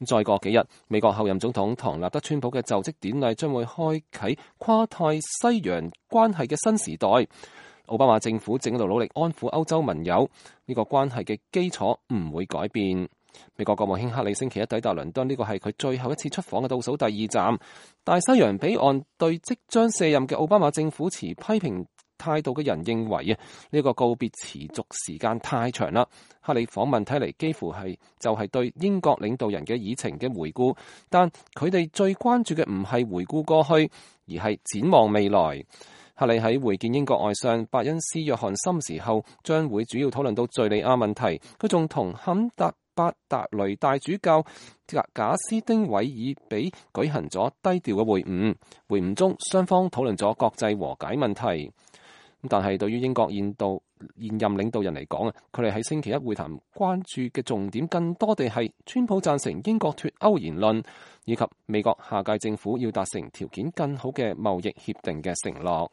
再過幾日，美國後任總統唐納德川普嘅就職典禮將會開啟跨太西洋關係嘅新時代。奧巴馬政府正喺度努力安撫歐洲盟友，呢個關係嘅基礎唔會改變。美國國務卿克里星期一抵達倫敦，呢個係佢最後一次出訪嘅倒數第二站。大西洋彼岸對即將卸任嘅奧巴馬政府持批評態度嘅人認為呢個告別持續時間太長啦。克里訪問睇嚟幾乎係對英國領導人嘅議程嘅回顧，但佢哋最關注嘅唔係回顧過去，而係展望未來。克里喺會見英國外相伯恩斯約翰森時候，將會主要討論到敘利亞問題。佢仲同坎巴達雷大主教賈斯丁韋爾比舉行咗低調嘅會晤。會晤中，雙方討論咗國際和解問題。但係對於英國現任領導人嚟講佢哋喺星期一會談關注嘅重點更多地係川普贊成英國脫歐言論，以及美國下屆政府要達成條件更好嘅貿易協定嘅承諾。